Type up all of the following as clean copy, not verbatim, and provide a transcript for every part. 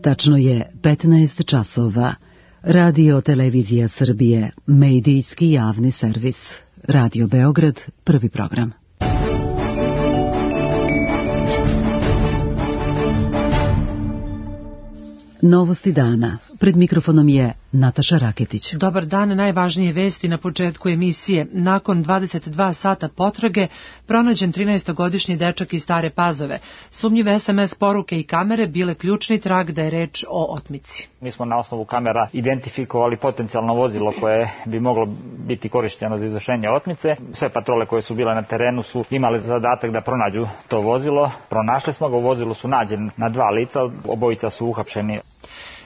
Tačno je 15 časova. Radio Televizija Srbije, medijski javni servis. Radio Beograd, prvi program. Novosti dana. Pred mikrofonom je Nataša Raketić. Dobar dan, najvažnije vesti na početku emisije. Nakon 22 sata potrage, pronađen 13-godišnji dečak iz Stare Pazove. Sumnjive SMS poruke i kamere bile ključni trag da je reč o otmici. Mi smo na osnovu kamera identifikovali potencijalno vozilo koje bi moglo biti korišteno za izvršenje otmice. Sve patrole koje su bile na terenu su imali zadatak da pronađu to vozilo. Pronašli smo ga, u vozilu su nađeni na 2 lica, obojica su uhapšeni.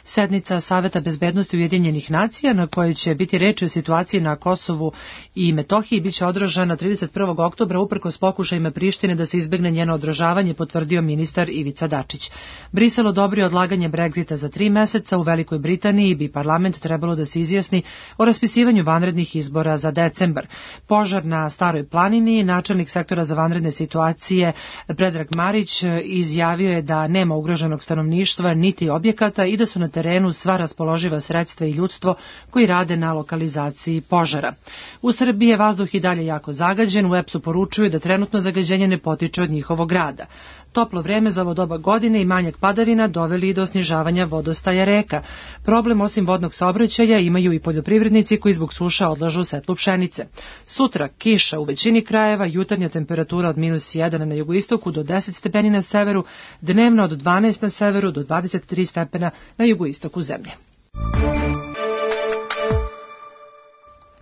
Sednica Saveta bezbednosti Ujedinjenih nacija, na kojoj će biti reči o situaciji na Kosovu i Metohiji, biće održana 31. oktobra uprkos pokušajima Prištine da se izbegne njeno održavanje, potvrdio ministar Ivica Dačić. Brisel odobrio odlaganje Brexita za 3 meseca. U Velikoj Britaniji bi parlament trebalo da se izjasni o raspisivanju vanrednih izbora za decembar. Požar na Staroj planini, načelnik sektora za vanredne situacije Predrag Marić izjavio je da nema ugroženog stanovništva niti objekata i da su na terenu sva raspoloživa sredstva i ljudstvo koji rade na lokalizaciji požara. U Srbiji je vazduh i dalje jako zagađen, u EPS-u poručuju da trenutno zagađenje ne potiče od njihovog rada. Toplo vreme za ovo doba godine i manjak padavina doveli i do snižavanja vodostaja reka. Problem osim vodnog saobraćaja imaju i poljoprivrednici koji zbog suša odlažu setlu pšenice. Sutra kiša u većini krajeva, jutarnja temperatura od -1 na jugoistoku do 10 stepeni na severu, dnevno od 12 na severu do 23 stepena na jugoistoku zemlje.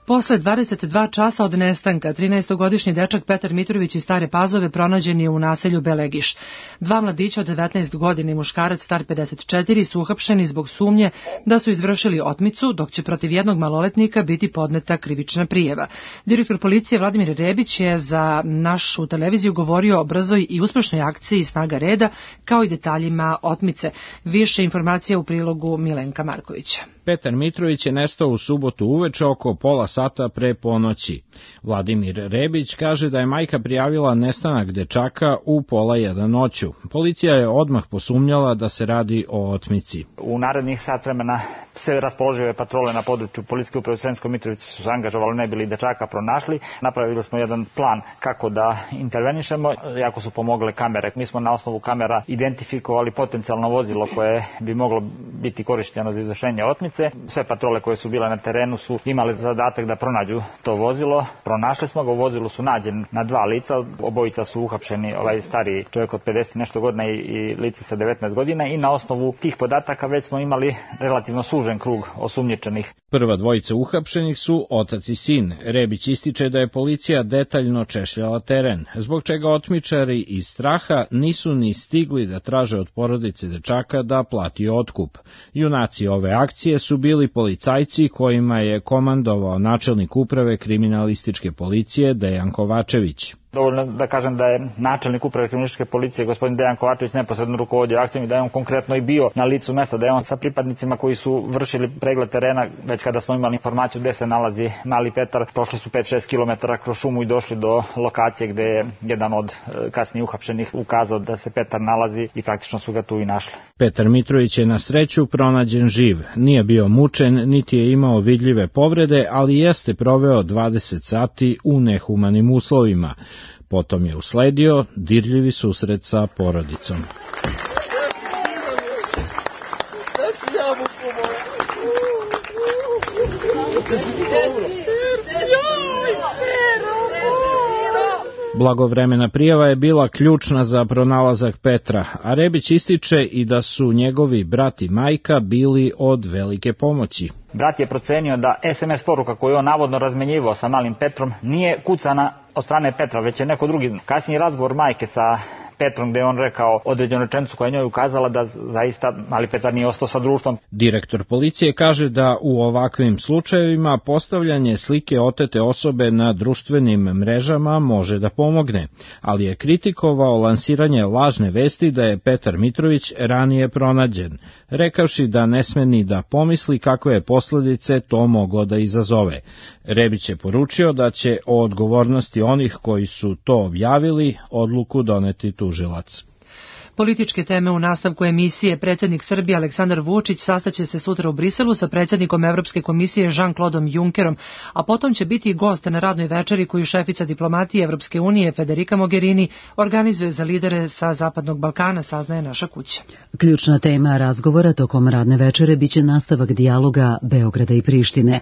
Posle 22 časa od nestanka, 13-godišnji dečak Petar Mitrović iz Stare Pazove pronađen je u naselju Belegiš. 2 mladića od 19 godina i muškarac star 54 su uhapšeni zbog sumnje da su izvršili otmicu, dok će protiv jednog maloletnika biti podneta krivična prijava. Direktor policije Vladimir Rebić je za našu televiziju govorio o brzoj i uspešnoj akciji snaga reda, kao i detaljima otmice. Više informacija u prilogu Milenka Markovića. Petar Mitrović je nestao u subotu uveče oko pola sata pre ponoći. Vladimir Rebić kaže da je majka prijavila nestanak dečaka u 12:30 noću. Policija je odmah posumnjala da se radi o otmici. U narednih sat vremena sve raspoložive patrole na području Policijske uprave u Sremskoj Mitrovici su se angažovali, ne bili dečaka pronašli. Napravili smo jedan plan kako da intervenišemo, jako su pomogle kamere. Mi smo na osnovu kamera identifikovali potencijalno vozilo koje bi moglo biti korišteno za izvršenje otmice. Sve patrole koje su bile na terenu su imali zadatak da pronađu to vozilo. Pronašli smo ga, u vozilu su nađeni na 2 lica, obojica su uhapšeni, stariji čovjek od 50 nešto godina i lice sa 19 godina i na osnovu tih podataka već smo imali relativno sužen krug osumnjičenih. Prva dvojica uhapšenih su otac i sin. Rebić ističe da je policija detaljno češljala teren, zbog čega otmičari iz straha nisu ni stigli da traže od porodice dečaka da plati otkup. Junaci ove akcije su bili policajci kojima je komandovao načelnik uprave kriminalističke policije Dejan Kovačević. Dovoljno da kažem da je načelnik uprave kriminalističke policije gospodin Dejan Kovačević neposredno rukovodio akcijom i da je on konkretno i bio na licu mesta, da je on sa pripadnicima koji su vršili pregled terena, već kada smo imali informaciju gde se nalazi mali Petar, prošli su 5-6 km kroz šumu i došli do lokacije gde je jedan od kasnije uhapšenih ukazao da se Petar nalazi i praktično su ga tu i našli. Petar Mitrović je na sreću pronađen živ. Nije bio mučen, niti je imao vidljive povrede, ali jeste proveo 20 sati u nehumanim uslovima. Potom je usledio dirljivi susret sa porodicom. Blagovremena prijava je bila ključna za pronalazak Petra, a Rebić ističe i da su njegovi brat i majka bili od velike pomoći. Brat je procenio da SMS poruka koju on navodno razmenjivao sa malim Petrom nije kucana od strane Petra, već je neko drugi. Kasniji razgovor majke sa Petrom gde je on rekao određenu rečenicu koja je njoj ukazala da zaista mali Petar nije ostao sa društvom. Direktor policije kaže da u ovakvim slučajevima postavljanje slike otete osobe na društvenim mrežama može da pomogne, ali je kritikovao lansiranje lažne vesti da je Petar Mitrović ranije pronađen, rekavši da ne sme ni da pomisli kakve je posledice to moglo da izazove. Rebić je poručio da će o odgovornosti onih koji su to objavili odluku doneti tužilac. Političke teme u nastavku emisije. Predsjednik Srbije Aleksandar Vučić sastaće se sutra u Briselu sa predsjednikom Evropske komisije Jean-Claudeom Junckerom, a potom će biti i gost na radnoj večeri koju šefica diplomatije Evropske unije Federica Mogherini organizuje za lidere sa Zapadnog Balkana, saznaje naša kuća. Ključna tema razgovora tokom radne večere biće nastavak dijaloga Beograda i Prištine.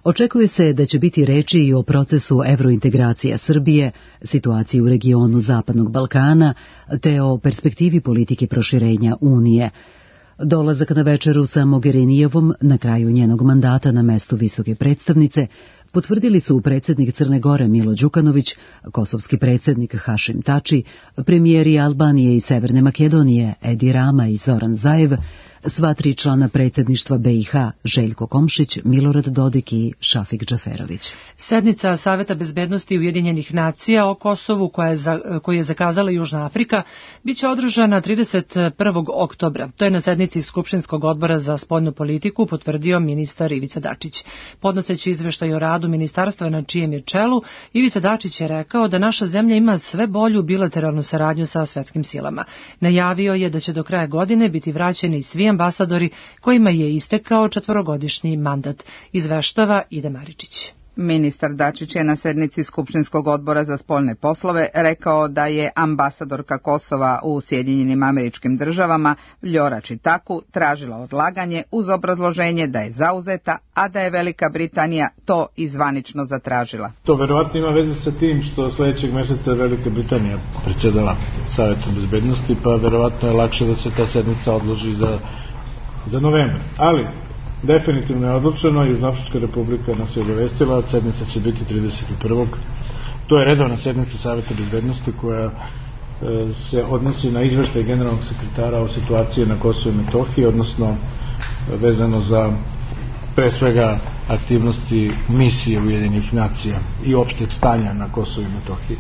Očekuje se da će biti reči i o procesu evrointegracija Srbije, situaciji u regionu Zapadnog Balkana, te o perspektivi politike proširenja Unije. Dolazak na večeru sa Mogherinijevom na kraju njenog mandata na mestu visoke predstavnice potvrdili su predsjednik Crne Gore Milo Đukanović, kosovski predsjednik Hašim Tači, premijeri Albanije i Severne Makedonije Edi Rama i Zoran Zaev, sva 3 člana predsjedništva BiH Željko Komšić, Milorad Dodik i Šafik Džaferović. Sednica Saveta bezbednosti Ujedinjenih nacija o Kosovu koju je zakazala Južna Afrika biće održana 31. oktobra. To je na sednici Skupštinskog odbora za spoljnu politiku potvrdio ministar Ivica Dačić. Podnoseći izveštaj o radu ministarstva na čijem je čelu, Ivica Dačić je rekao da naša zemlja ima sve bolju bilateralnu saradnju sa svetskim silama. Najavio je da će do kraja godine biti vraćeni svi ambasadori kojima je istekao 4-godišnji mandat, izveštava Ida Maričić. Ministar Dačić je na sednici Skupštinskog odbora za spoljne poslove rekao da je ambasadorka Kosova u Sjedinjenim Američkim Državama Vljora Čitaku tražila odlaganje uz obrazloženje da je zauzeta, a da je Velika Britanija to i zvanično zatražila. To verovatno ima veze sa tim što sljedećeg mjeseca Velika Britanija predsjedala Savetom bezbednosti, pa verovatno je lakše da se ta sednica odloži za novembar. Ali definitivno je odlučeno, Južnoafrička republika nas je obavestila, sednica će biti 31. To je redovna sednica Saveta bezbednosti koja se odnosi na izveštaj generalnog sekretara o situaciji na Kosovu i Metohiji, odnosno vezano za pre svega aktivnosti misije Ujedinjenih nacija i opšteg stanja na Kosovu i Metohiji.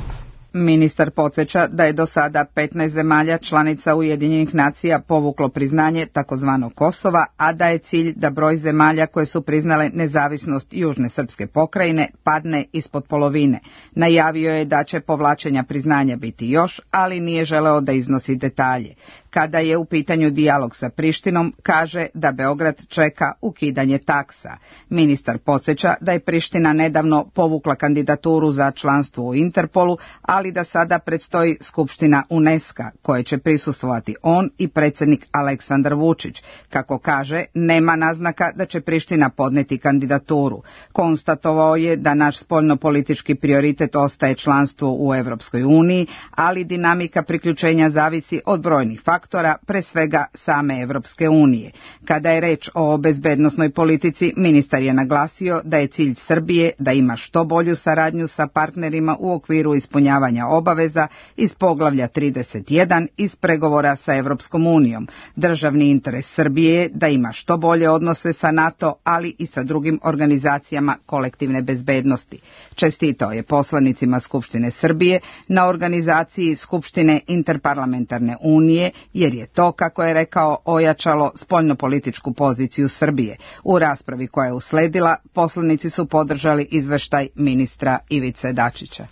Ministar podsjeća da je do sada 15 zemalja članica Ujedinjenih nacija povuklo priznanje takozvanog Kosova, a da je cilj da broj zemalja koje su priznale nezavisnost Južne srpske pokrajine padne ispod polovine. Najavio je da će povlačenja priznanja biti još, ali nije želeo da iznosi detalje. Kada je u pitanju dijalog sa Prištinom, kaže da Beograd čeka ukidanje taksa. Ministar podsjeća da je Priština nedavno povukla kandidaturu za članstvo u Interpolu, ali da sada predstoji Skupština UNESCO-a, koje će prisustvovati on i predsjednik Aleksandar Vučić. Kako kaže, nema naznaka da će Priština podneti kandidaturu. Konstatovao je da naš spoljnopolitički prioritet ostaje članstvo u Evropskoj uniji, ali dinamika priključenja zavisi od brojnih faktora, pre svega same Evropske unije. Kada je reč o bezbednosnoj politici, ministar je naglasio da je cilj Srbije da ima što bolju saradnju sa partnerima u okviru ispunjavanja obaveza iz poglavlja 31 iz pregovora sa Evropskom unijom. Državni interes Srbije je da ima što bolje odnose sa NATO, ali i sa drugim organizacijama kolektivne bezbednosti. Čestitao je poslanicima Skupštine Srbije na organizaciji Skupštine Interparlamentarne unije, jer je to, kako je rekao, ojačalo spoljnopolitičku poziciju Srbije. U raspravi koja je usledila, poslanici su podržali izveštaj ministra Ivice Dačića.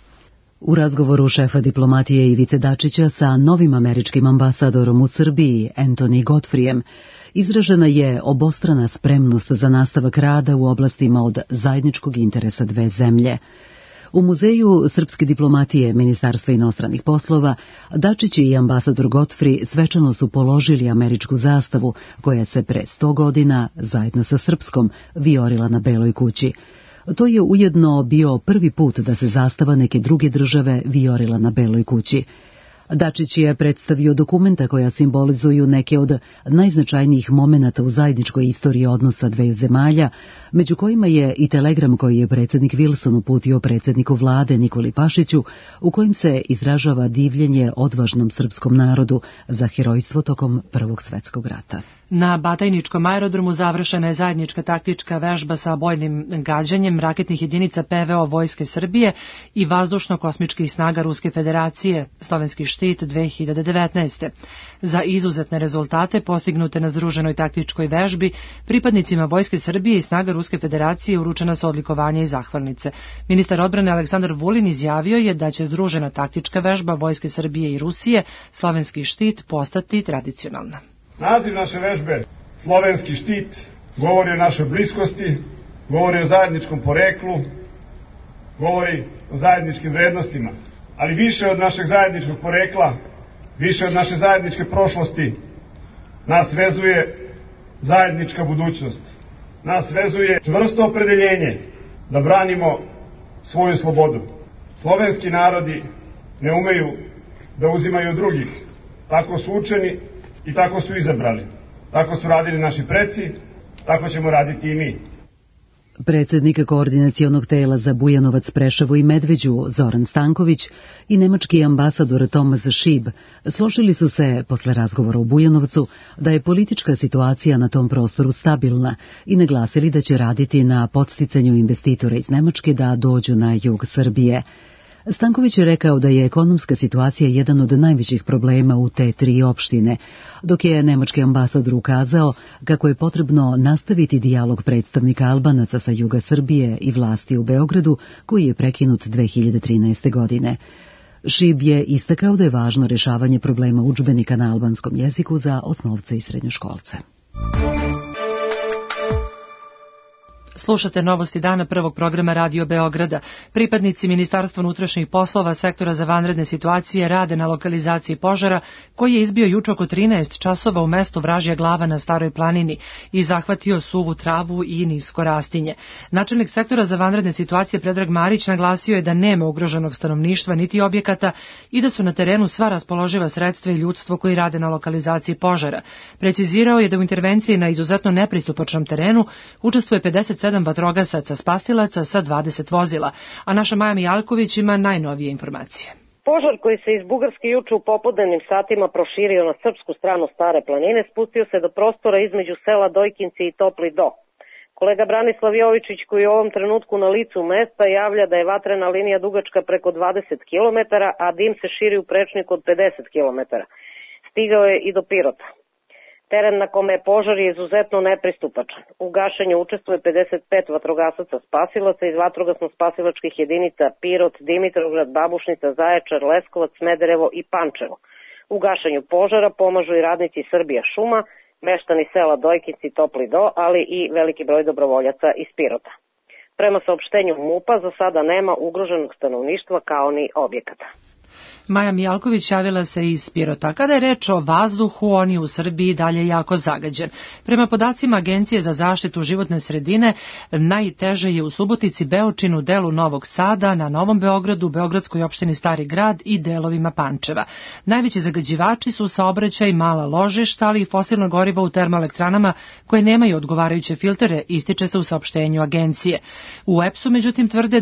U razgovoru šefa diplomatije Ivice Dačića sa novim američkim ambasadorom u Srbiji, Anthony Godfreyem, izražena je obostrana spremnost za nastavak rada u oblastima od zajedničkog interesa dve zemlje. U Muzeju srpske diplomatije Ministarstva inostranih poslova Dačić i ambasador Godfrey svečano su položili američku zastavu koja se pre 100 godina zajedno sa srpskom vijorila na Beloj kući. To je ujedno bio prvi put da se zastava neke druge države vijorila na Beloj kući. Dačić je predstavio dokumenta koja simbolizuju neke od najznačajnijih momenata u zajedničkoj istoriji odnosa dveju zemalja, među kojima je i telegram koji je predsjednik Wilson uputio predsjedniku vlade Nikoli Pašiću, u kojim se izražava divljenje odvažnom srpskom narodu za herojstvo tokom Prvog svjetskog rata. Na Batajničkom aerodromu završena je zajednička taktička vežba sa bojnim gađanjem raketnih jedinica PVO Vojske Srbije i vazdušno-kosmičkih snaga Ruske federacije. Slovenski štit 2019. Za izuzetne rezultate postignute na združenoj taktičkoj vežbi pripadnicima Vojske Srbije i snaga Ruske federacije uručena su odlikovanja i zahvalnice. Ministar odbrane Aleksandar Vulin izjavio je da će združena taktička vežba Vojske Srbije i Rusije, Slovenski štit, postati tradicionalna. Naziv naše vežbe, Slovenski štit, govori o našoj bliskosti, govori o zajedničkom poreklu, govori o zajedničkim vrednostima, ali više od našeg zajedničkog porekla, više od naše zajedničke prošlosti, nas vezuje zajednička budućnost. Nas vezuje čvrsto opredeljenje da branimo svoju slobodu. Slovenski narodi ne umeju da uzimaju drugih. Tako su učeni i tako su izabrali. Tako su radili naši preci, tako ćemo raditi i mi. Predsjednik koordinacionog tela za Bujanovac, Preševo i Medveđu, Zoran Stanković, i nemački ambasador Thomas Schieb složili su se, posle razgovora u Bujanovcu, da je politička situacija na tom prostoru stabilna i naglasili da će raditi na podsticanju investitora iz Nemačke da dođu na jug Srbije. Stanković je rekao da je ekonomska situacija jedan od najvećih problema u te tri opštine, dok je nemački ambasador ukazao kako je potrebno nastaviti dijalog predstavnika Albanaca sa juga Srbije i vlasti u Beogradu, koji je prekinut 2013. godine. Schieb je istakao da je važno rešavanje problema udžbenika na albanskom jeziku za osnovce i srednjoškolce. Slušate novosti dana prvog programa Radio Beograda. Pripadnici Ministarstva unutrašnjih poslova sektora za vanredne situacije rade na lokalizaciji požara koji je izbio juče oko 13 časova u mestu Vražja Glava na Staroj planini i zahvatio suvu travu i nisko rastinje. Načelnik sektora za vanredne situacije Predrag Marić naglasio je da nema ugroženog stanovništva niti objekata i da su na terenu sva raspoloživa sredstva i ljudstvo koji rade na lokalizaciji požara. Precizirao je da u intervenciji na izuzetno nepristupačnom terenu učestvuje 57 vatrogasaca spasilaca sa 20 vozila, a naša Maja Mijalković ima najnovije informacije. Požar koji se iz Bugarske juče u popodnevnim satima proširio na srpsku stranu Stare planine spustio se do prostora između sela Dojkinci i Topli Do. Kolega Branislav Jovičić, koji je u ovom trenutku na licu mesta, javlja da je vatrena linija dugačka preko 20 km, a dim se širi u prečniku od 50 km. Stigao je i do Pirota. Teren na kome je požar je izuzetno nepristupačan. U gašenju učestvuje 55 vatrogasaca spasilaca iz vatrogasno-spasilačkih jedinica Pirot, Dimitrovgrad, Babušnica, Zaječar, Leskovac, Smederevo i Pančevo. U gašenju požara pomažu i radnici Srbija šuma, meštani sela Dojkinci, Topli Do, ali i veliki broj dobrovoljaca iz Pirota. Prema saopštenju MUP-a za sada nema ugroženog stanovništva kao ni objekata. Maja Mijalković javila se iz Pirota. Kada je reč o vazduhu, on je u Srbiji dalje jako zagađen. Prema podacima Agencije za zaštitu životne sredine, najteže je u Subotici, Beočinu, delu Novog Sada, na Novom Beogradu, Beogradskoj opštini Stari Grad i delovima Pančeva. Najveći zagađivači su saobraćaj, mala ložišta, ali i fosilna goriva u termoelektranama koje nemaju odgovarajuće filtere, ističe se u saopštenju Agencije. U EPS-u, međutim, tvrde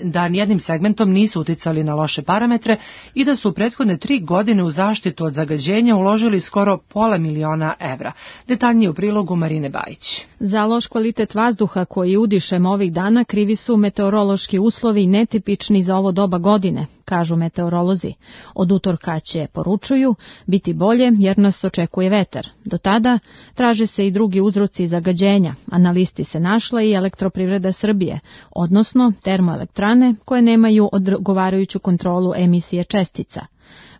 da nijednim segmentom nisu uticali na loše parametre i da su u prethodne 3 godine u zaštitu od zagađenja uložili skoro $500.000 evra. Detaljnije u prilogu Marine Bajić. Za loš kvalitet vazduha koji udišemo ovih dana krivi su meteorološki uslovi netipični za ovo doba godine, kažu meteorolozi. Od utorka će, poručuju, biti bolje jer nas očekuje vetar. Do tada traže se i drugi uzroci zagađenja, a na listi se našla i Elektroprivreda Srbije, odnosno termoelektrane koje nemaju odgovarajuću kontrolu emisije čestica.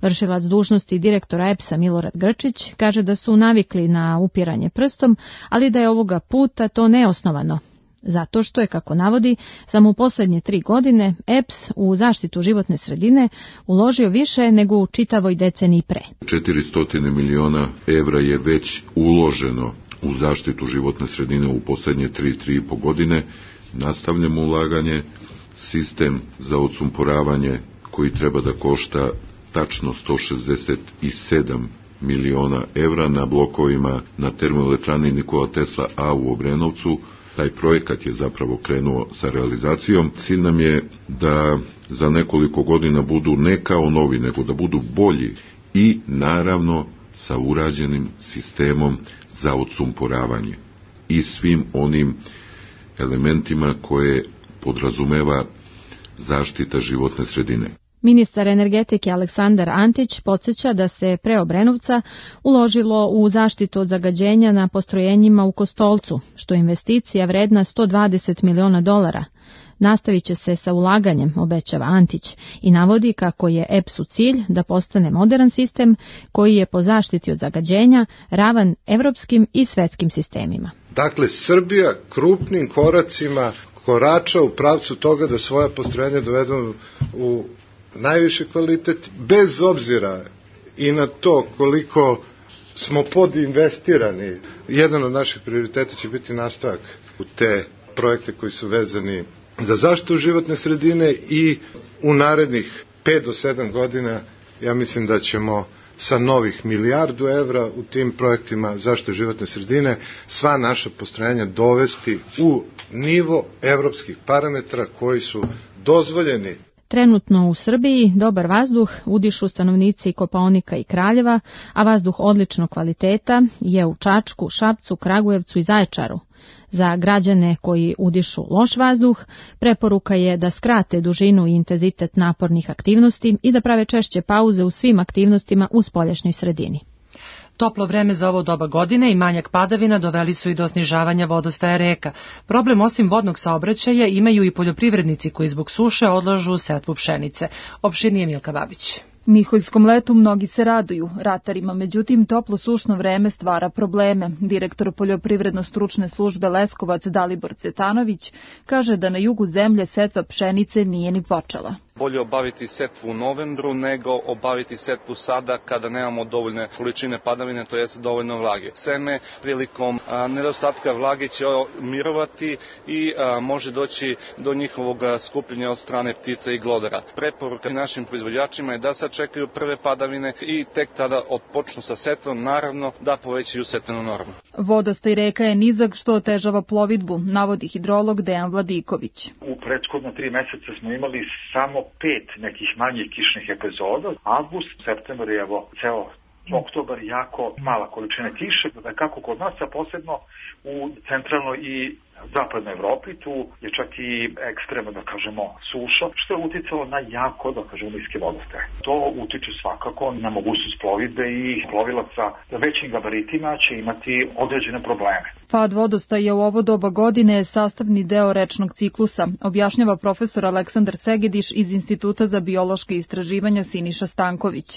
Vršilac dužnosti direktora EPS-a Milorad Grčić kaže da su navikli na upiranje prstom, ali da je ovoga puta to neosnovano. Zato što je, kako navodi, samo u poslednje 3 godine EPS u zaštitu životne sredine uložio više nego u čitavoj deceniji pre. 400 miliona evra je već uloženo u zaštitu životne sredine u poslednje 3,5 godine. Nastavljamo ulaganje, sistem za odsumporavanje koji treba da košta tačno 167 miliona evra na blokovima na termoelektrani Nikola Tesla A u Obrenovcu. Taj projekat je zapravo krenuo sa realizacijom. Cilj nam je da za nekoliko godina budu ne kao novi, nego da budu bolji i naravno sa urađenim sistemom za odsumporavanje i svim onim elementima koje podrazumeva zaštita životne sredine. Ministar energetike Aleksandar Antić podsjeća da se pre Obrenovca uložilo u zaštitu od zagađenja na postrojenjima u Kostolcu, što je investicija vredna $120 miliona. Nastavit će se sa ulaganjem, obećava Antić, i navodi kako je EPS-u cilj da postane moderan sistem koji je po zaštiti od zagađenja ravan evropskim i svetskim sistemima. Dakle, Srbija krupnim koracima korača u pravcu toga da svoja postrojenja dovedu u najviši kvalitet, bez obzira i na to koliko smo podinvestirani. Jedan od naših prioriteta će biti nastavak u te projekte koji su vezani za zaštitu životne sredine i u narednih 5 do 7 godina ja mislim da ćemo sa novih €1 milijardu u tim projektima zaštite životne sredine sva naša postrojenja dovesti u nivo evropskih parametra koji su dozvoljeni. Trenutno u Srbiji dobar vazduh udišu stanovnici Kopaonika i Kraljeva, a vazduh odličnog kvaliteta je u Čačku, Šapcu, Kragujevcu i Zaječaru. Za građane koji udišu loš vazduh, preporuka je da skrate dužinu i intenzitet napornih aktivnosti i da prave češće pauze u svim aktivnostima u spoljašnjoj sredini. Toplo vreme za ovo doba godine i manjak padavina doveli su i do snižavanja vodostaja reka. Problem osim vodnog saobraćaja imaju i poljoprivrednici koji zbog suše odlažu setvu pšenice. Opširnije Milka Babić. Miholjskom letu mnogi se raduju, ratarima, međutim toplo sušno vreme stvara probleme. Direktor poljoprivredno-stručne službe Leskovac Dalibor Cvetanović kaže da na jugu zemlje setva pšenice nije ni počela. Bolje obaviti setvu u novembru nego obaviti setvu sada kada nemamo dovoljne količine padavine, to jest dovoljno vlage. Seme prilikom nedostatka vlage će mirovati i može doći do njihovog skupljenja od strane ptica i glodara. Preporuka našim proizvođačima je da sačekaju prve padavine i tek tada odpočnu sa setvom, naravno da povećaju setvenu normu. Vodostaj reka je nizak što otežava plovidbu, navodi hidrolog Dejan Vladiković. U prethodna 3 meseca smo imali samo 5 nekih manjih kišnih epizoda. Avgust, septembar i evo ceo oktobar jako mala količina kiše, kako kod nas, a posebno u centralnoj i zapadnoj Evropi, tu je čak i ekstremno, da kažemo, suša, što je uticalo na jako, da kažemo, niske vodostaje. To utiče svakako na mogućnost plovidbe i plovilaca većim gabaritima će imati određene probleme. Pad vodostaja u ovo doba godine je sastavni deo rečnog ciklusa, objašnjava profesor Aleksandar Segediš iz Instituta za biološke istraživanja Siniša Stanković.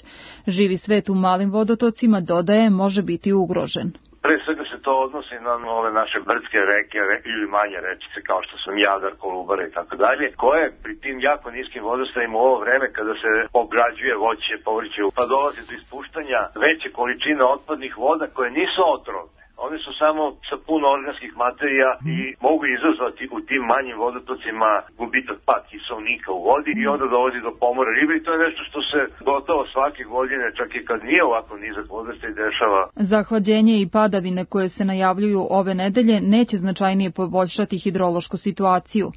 Živi svet u malim vodotocima, dodaje, može biti ugrožen. Pre svega se to odnosi na ove naše brdske reke ili manje rečice kao što su Jadar, Kolubara i tako dalje, koje pri tim jako niskim vodostajima u ovo vreme kada se obrađuje voće, povrće, pa dolazi do ispuštanja veće količine otpadnih voda koje nisu otrovne. One su samo sa puno organskih materija i mogu izazvati u tim manjim vodotocima gubitak pad kiseonika u vodi i onda dolazi do pomora ribe i to je nešto što se gotovo svake godine, čak i kad nije ovako nizak vodostaj, dešava. Zahlađenje i padavine koje se najavljuju ove nedelje neće značajnije poboljšati hidrološku situaciju.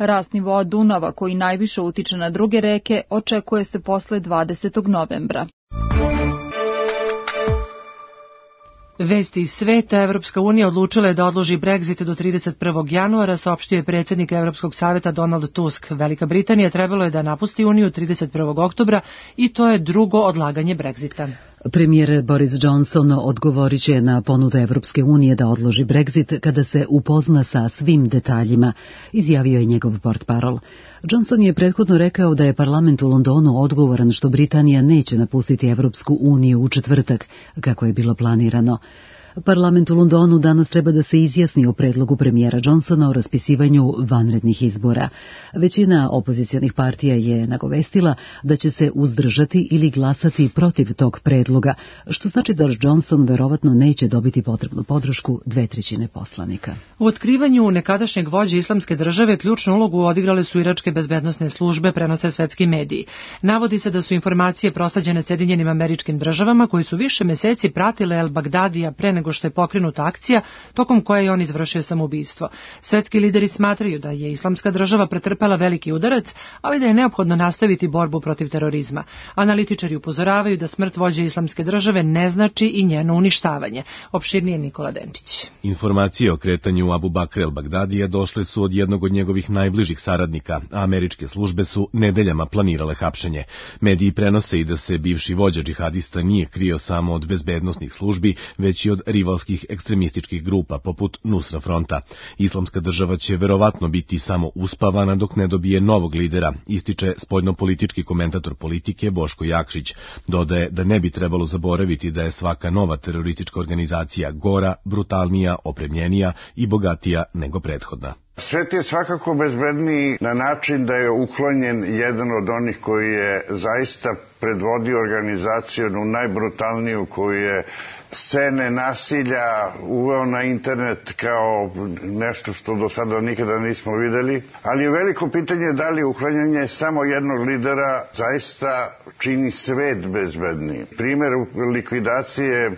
Rast nivoa Dunava, koji najviše utiče na druge reke, očekuje se posle 20. novembra. Vesti iz sveta. Evropska unija odlučila je da odloži Brexit do 31. januara, saopštio je predsjednik Evropskog savjeta Donald Tusk. Velika Britanija trebalo je da napusti Uniju 31. oktobra i to je drugo odlaganje Brexita. Premijer Boris Johnson odgovorit će na ponudu Evropske unije da odloži Brexit kada se upozna sa svim detaljima, izjavio je njegov portparol. Johnson je prethodno rekao da je parlament u Londonu odgovoran što Britanija neće napustiti Evropsku uniju u četvrtak, kako je bilo planirano. Parlament u Londonu danas treba da se izjasni o predlogu premijera Johnsona o raspisivanju vanrednih izbora. Većina opozicionih partija je nagovestila da će se uzdržati ili glasati protiv tog predloga, što znači da Johnson verovatno neće dobiti potrebnu podršku 2/3 poslanika. U otkrivanju nekadašnjeg vođe islamske države ključnu ulogu odigrale su iračke bezbednosne službe, prenose svetski mediji. Navodi se da su informacije prosleđene Sjedinjenim Američkim Državama koji su više meseci pratile El Bagdadija pre nego nego što je pokrenuta akcija tokom koje je on izvršio samoubistvo. Svetski lideri smatraju da je Islamska država pretrpela veliki udarac, ali da je neophodno nastaviti borbu protiv terorizma. Analitičari upozoravaju da smrt vođe Islamske države ne znači i njeno uništavanje. Opširnije Nikola Denčić. Informacije o kretanju Abu Bakra el-Bagdadija došle su od jednog od njegovih najbližih saradnika, a američke službe su nedeljama planirale hapšenje. Mediji prenose i da se bivši vođa džihadista nije krio samo od bezbednosnih službi, već i od rivalskih ekstremističkih grupa poput Nusra fronta. Islamska država će verovatno biti samo uspavana dok ne dobije novog lidera, ističe spoljnopolitički komentator politike Boško Jakšić. Dodaje da ne bi trebalo zaboraviti da je svaka nova teroristička organizacija gora, brutalnija, opremljenija i bogatija nego prethodna. Svet je svakako bezbedniji na način da je uklonjen jedan od onih koji je zaista predvodio organizaciju najbrutalniju, koju je scene nasilja uveo na internet kao nešto što do sada nikada nismo videli. Ali je veliko pitanje da li uklanjanje samo jednog lidera zaista čini svet bezbedniji. Primer likvidacije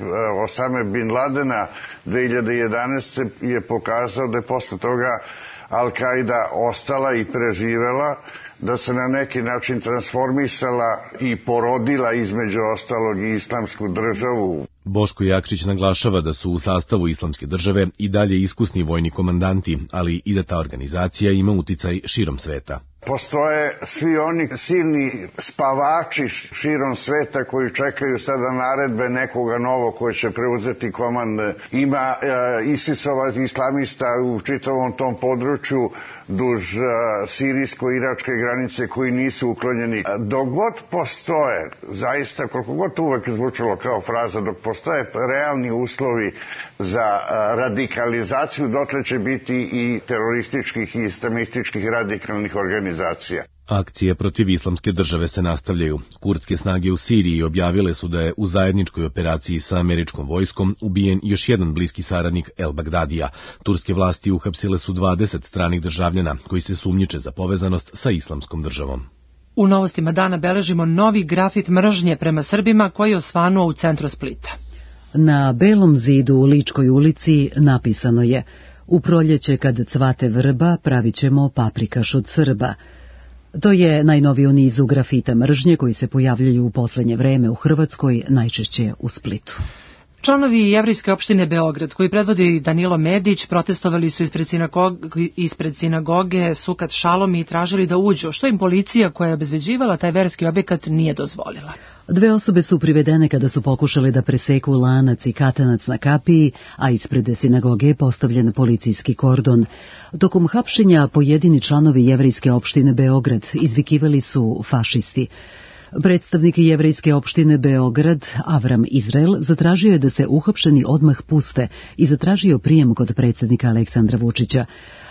Osame bin Ladena 2011. je pokazao da je posle toga Al-Kaida ostala i preživela, da se na neki način transformisala i porodila između ostalog i Islamsku državu. Boško Jakšić naglašava da su u sastavu Islamske države i dalje iskusni vojni komandanti, ali i da ta organizacija ima uticaj širom sveta. Postoje svi oni silni spavači širom sveta koji čekaju sada naredbe nekoga novog koji će preuzeti komande. Ima ISIS-ova islamista u čitavom tom području duž sirijsko-iračke granice koji nisu uklonjeni. Dok god postoje, zaista koliko god uvek zvučalo kao fraza, dok postoje realni uslovi za radikalizaciju, dotle će biti i terorističkih i islamističkih radikalnih organizacija. Akcije protiv Islamske države se nastavljaju. Kurdske snage u Siriji objavile su da je u zajedničkoj operaciji sa američkom vojskom ubijen još jedan bliski saradnik el-Bagdadija. Turske vlasti uhapsile su 20 stranih državljana koji se sumnjiče za povezanost sa Islamskom državom. U novostima dana beležimo novi grafit mržnje prema Srbima koji je osvanuo u centru Splita. Na belom zidu u Ličkoj ulici napisano je: "U proljeće kad cvate vrba pravit ćemo paprikaš od Srba." To je najnoviji u nizu grafita mržnje koji se pojavljaju u poslednje vreme u Hrvatskoj, najčešće u Splitu. Članovi Jevrejske opštine Beograd, koji predvodi Danilo Medić, protestovali su ispred sinagoge Sukat Šalom i tražili da uđu, što im policija koja je obezbeđivala taj verski objekat nije dozvolila. 2 osobe su privedene kada su pokušale da preseku lanac i katanac na kapiji, a ispred sinagoge je postavljen policijski kordon. Tokom hapšenja pojedini članovi Jevrejske opštine Beograd izvikivali su fašisti. Predstavnik Jevrejske opštine Beograd, Avram Izrael, zatražio je da se uhapšeni odmah puste i zatražio prijem kod predsjednika Aleksandra Vučića.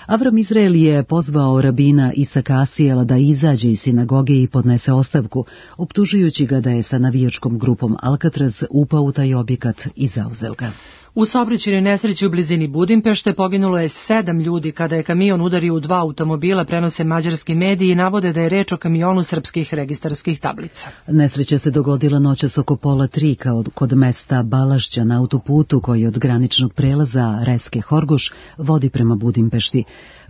Avram Izrael je pozvao rabina Isaka Asijela da izađe iz sinagoge i podnese ostavku, optužujući ga da je sa navijačkom grupom Alcatraz upao u taj objekat i zauzeo ga. U saobraćajnoj nesreći u blizini Budimpešte poginulo je 7 ljudi kada je kamion udario u 2 automobila, prenose mađarski mediji i navode da je reč o kamionu srpskih registarskih tablica. Nesreća se dogodila noćas oko 2:30 kod mesta Balašća na autoputu koji od graničnog prelaza Reske Horgoš vodi prema Budimpešti.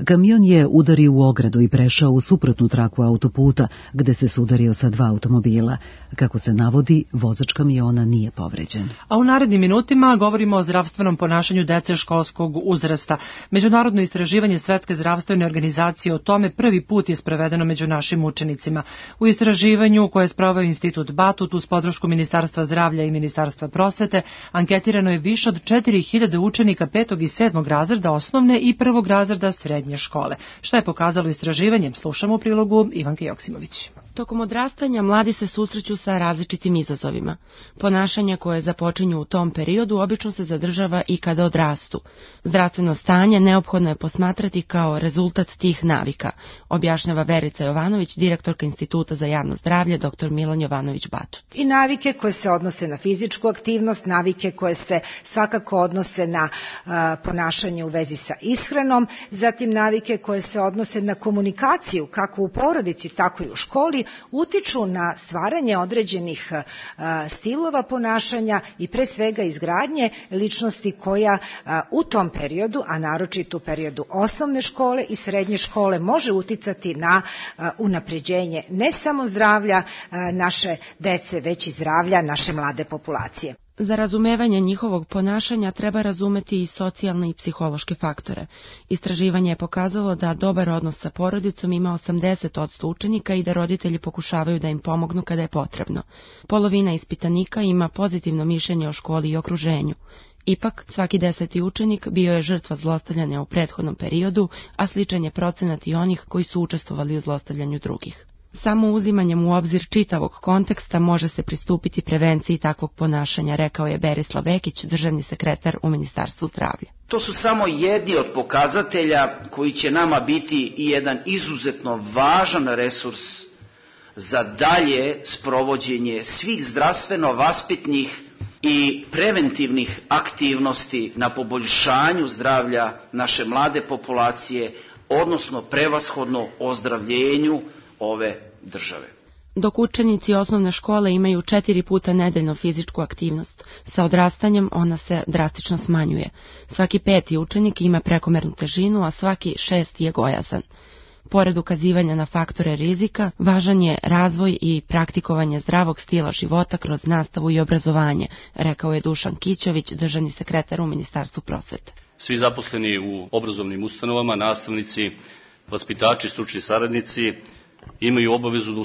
Kamion je udario u ogradu i prešao u suprotnu traku autoputa, gde se sudario sa 2 automobila. Kako se navodi, vozač kamiona nije povređen. A u narednim minutima govorimo o zdravstvenom ponašanju dece školskog uzrasta. Međunarodno istraživanje Svetske zdravstvene organizacije o tome prvi put je sprovedeno među našim učenicima. U istraživanju koje je sproveo Institut Batut uz podršku Ministarstva zdravlja i Ministarstva prosvete anketirano je više od 4000 učenika 5. i 7. razreda osnovne i 1. razreda srednje škole. Šta je pokazalo istraživanje? Slušamo u prilogu Ivanke Joksimović. Tokom odrastanja mladi se susreću sa različitim izazovima. Ponašanja koje započinju u tom periodu obično se zadržava i kada odrastu. Zdravstveno stanje neophodno je posmatrati kao rezultat tih navika, objašnjava Verica Jovanović, direktorka Instituta za javno zdravlje, dr. Milan Jovanović Batut. I navike koje se odnose na fizičku aktivnost, navike koje se svakako odnose na ponašanje u vezi sa ishranom, zatim navike koje se odnose na komunikaciju kako u porodici, tako i u školi, utiču na stvaranje određenih stilova ponašanja i pre svega izgradnje ličnosti koja u tom periodu, a naročito u periodu osnovne škole i srednje škole, može uticati na unapređenje ne samo zdravlja naše dece, već i zdravlja naše mlade populacije. Za razumevanje njihovog ponašanja treba razumeti i socijalne i psihološke faktore. Istraživanje je pokazalo da dobar odnos sa porodicom ima 80% učenika i da roditelji pokušavaju da im pomognu kada je potrebno. Polovina ispitanika ima pozitivno mišljenje o školi i okruženju. Ipak, svaki 10. učenik bio je žrtva zlostavljanja u prethodnom periodu, a sličan je procenat i onih koji su učestvovali u zlostavljanju drugih. Samo uzimanjem u obzir čitavog konteksta može se pristupiti prevenciji takvog ponašanja, rekao je Berislav Vekić, državni sekretar u Ministarstvu zdravlja. To su samo jedni od pokazatelja koji će nama biti i jedan izuzetno važan resurs za dalje sprovođenje svih zdravstveno-vaspitnih i preventivnih aktivnosti na poboljšanju zdravlja naše mlade populacije, odnosno prevashodno ozdravljenju ove države. Dok učenici osnovne škole imaju 4 puta nedeljno fizičku aktivnost, sa odrastanjem ona se drastično smanjuje. Svaki 5. učenik ima prekomernu težinu, a svaki 6. je gojazan. Pored ukazivanja na faktore rizika, važan je razvoj i praktikovanje zdravog stila života kroz nastavu i obrazovanje, rekao je Dušan Kićović, državni sekretar u Ministarstvu prosvete. Svi zaposleni u obrazovnim ustanovama, nastavnici, vaspitači, stručni saradnici, imaju obavezu da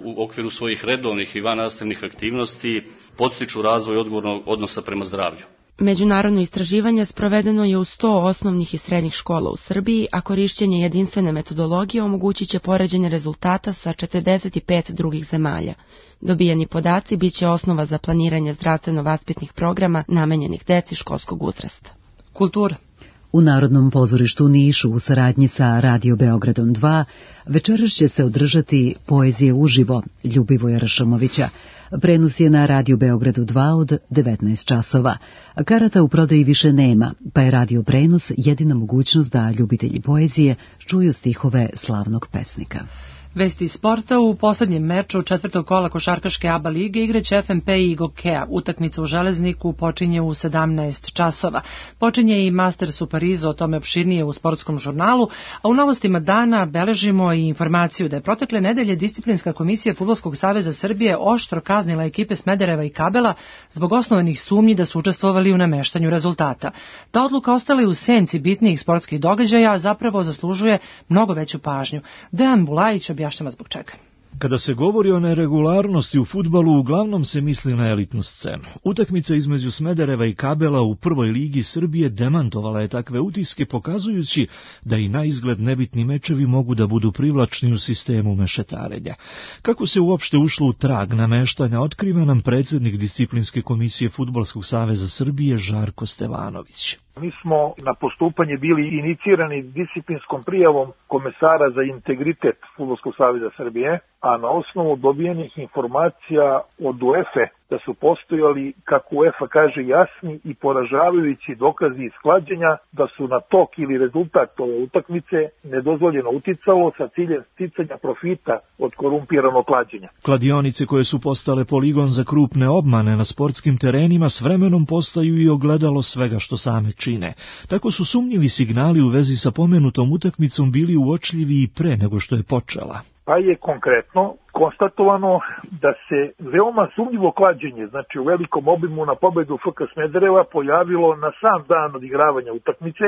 u okviru svojih redovnih i vannastavnih aktivnosti podstiču razvoj odgovornog odnosa prema zdravlju. Međunarodno istraživanje sprovedeno je u 100 osnovnih i srednjih škola u Srbiji, a korišćenje jedinstvene metodologije omogućit će poređenje rezultata sa 45 drugih zemalja. Dobijeni podaci biće osnova za planiranje zdravstveno-vaspitnih programa namenjenih deci školskog uzrasta. Kultura. U Narodnom pozorištu u Nišu u saradnji sa Radio Beogradom 2 večeras će se održati Poezije uživo Ljubivoja Rašomovića. Prenos je na Radio Beogradu 2 od 19 časova. Karata u prodaji više nema, pa je radio prenos jedina mogućnost da ljubitelji poezije čuju stihove slavnog pesnika. Vesti iz sporta. U poslednjem meču četvrtog kola košarkaške ABA lige igraće FNP i Gokea. Utakmica u Železniku počinje u 17 časova. Počinje i Masters u Parizu, o tome opširnije u sportskom žurnalu, a u novostima dana beležimo i informaciju da je protekle nedelje Disciplinska komisija Fudbalskog saveza Srbije oštro kaznila ekipe Smedereva i Kabela zbog osnovanih sumnji da su učestvovali u nameštanju rezultata. Ta odluka ostala je u senci bitnijih sportskih događaja, a zapravo zaslužuje mnogo veću pažnju. Dejan Bulajić objašnjava zbog čega. Kada se govori o neregularnosti u fudbalu, uglavnom se misli na elitnu scenu. Utakmica između Smedereva i Kabela u prvoj ligi Srbije demantovala je takve utiske, pokazujući da i na izgled nebitni mečevi mogu da budu privlačni u sistemu mešetarenja. Kako se uopšte ušlo u trag nameštanja, otkriva nam predsjednik Disciplinske komisije Fudbalskog saveza Srbije Žarko Stevanović. Mi smo na postupanje bili inicirani disciplinskom prijavom komesara za integritet Fudbalskog saveza Srbije, a na osnovu dobijenih informacija od UEFA da su postojali, kako UEFA kaže, jasni i poražavajući dokazi isklađenja da su na tok ili rezultat ove utakmice nedozvoljeno uticalo sa ciljem sticanja profita od korumpiranog klađenja. Kladionice koje su postale poligon za krupne obmane na sportskim terenima s vremenom postaju i ogledalo svega što same čine. Tako su sumnjivi signali u vezi sa pomenutom utakmicom bili uočljivi i pre nego što je počela. Pa je konkretno konstatovano da se veoma sumnjivo klađenje, znači u velikom obimu na pobedu FK Smedereva, pojavilo na sam dan odigravanja utakmice,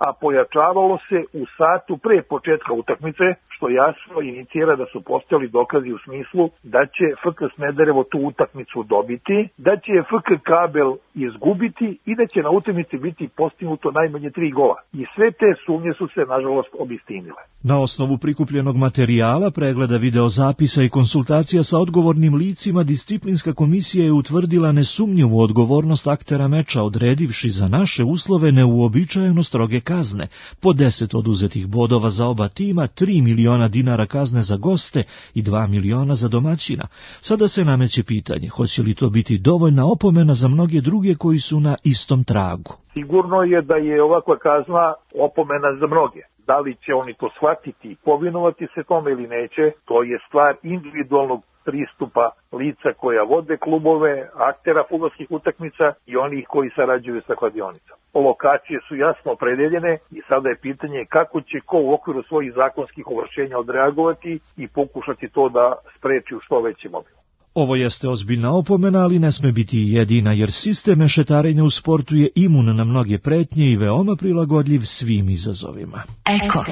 a pojačavalo se u satu pre početka utakmice, što jasno inicira da su postojali dokazi u smislu da će FK Smederevo tu utakmicu dobiti, da će FK Kabel izgubiti i da će na utakmici biti postignuto najmanje 3 gola. I sve te sumnje su se, nažalost, obistinile. Na osnovu prikupljenog materijala, pregleda videozapisa i konsultacija sa odgovornim licima, Disciplinska komisija je utvrdila nesumnjivu odgovornost aktera meča, odredivši za naše uslove neuobičajeno stroge kazne, po 10 oduzetih bodova za oba tima, 3 miliona dinara kazne za goste i 2 miliona za domaćina. Sada se nameće pitanje, hoće li to biti dovoljna opomena za mnoge druge koji su na istom tragu. Sigurno je da je ovakva kazna opomena za mnoge. Da li će oni to shvatiti i povinovati se tome ili neće, to je stvar individualnog pristupa lica koja vode klubove, aktera fudbalskih utakmica i onih koji sarađuju sa kladionicom. Lokacije su jasno opredeljene i sada je pitanje kako će ko u okviru svojih zakonskih ovlašćenja odreagovati i pokušati to da spreči u što većem obimu. Ovo jeste ozbiljna opomena, ali ne sme biti jedina, jer sistem mešetarenja u sportu je imun na mnoge pretnje i veoma prilagodljiv svim izazovima. Eko.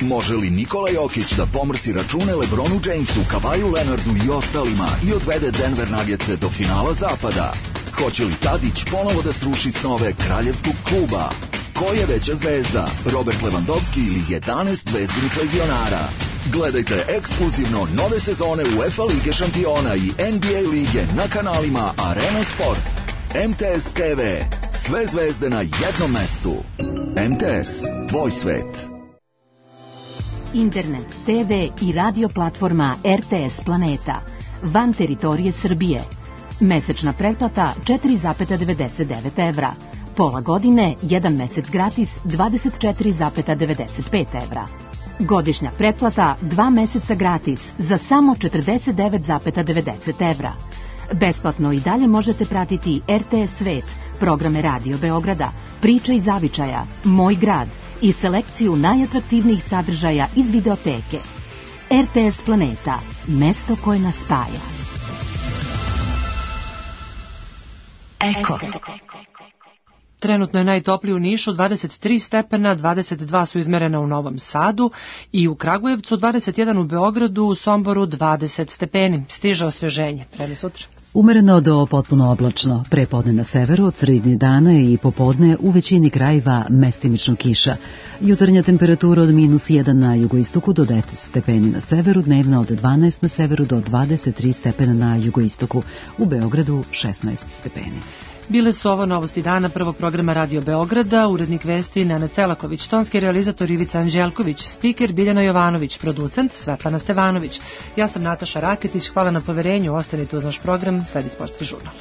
Može li Nikola Jokić da pomrsi račune LeBronu Jamesu, Kawhiu Leonardu i ostalima i odvede Denver Nuggetse do finala zapada? Hoće li Tadić ponovo da sruši snove kraljevskog kluba? Ko je veća zvezda, Robert Lewandowski ili 11 zvezdinih legionara? Gledajte ekskluzivno nove sezone UEFA Lige šampiona i NBA lige na kanalima Arena Sport. MTS TV. Sve zvezde na jednom mestu. MTS. Tvoj svet. Internet, TV i radio platforma RTS Planeta. Van teritorije Srbije. Mesečna pretplata 4,99 evra. Pola godine, 1 mesec gratis 24,95 evra. Godišnja pretplata 2 meseca gratis za samo 49,90 evra. Besplatno i dalje možete pratiti RTS Svet, programe Radio Beograda, Priča iz zavičaja, Moj grad i selekciju najatraktivnijih sadržaja iz videoteke. RTS Planeta, mesto koje nas spaja. Eko. Trenutno je najtoplije u Nišu 23 stepena, 22 su izmerena u Novom Sadu i u Kragujevcu 21 u Beogradu, u Somboru 20 stepeni. Stiže osveženje. Vreme sutra. Umereno do potpuno oblačno, prepodne na severu, od srednje dana i popodne u većini krajeva mestimično kiša. Jutarnja temperatura od -1 na jugoistoku do 10 stepeni na severu, dnevna od 12 na severu do 23 stepena na jugoistoku, u Beogradu 16 stepeni. Bile su ovo novosti dana prvog programa Radio Beograda, urednik vesti Nenad Celaković, tonski realizator Ivica Anđelković, spiker Biljana Jovanović, producent Svetlana Stevanović. Ja sam Nataša Raketić, hvala na poverenju, ostanite uz naš program, sledi Sportski žurnal.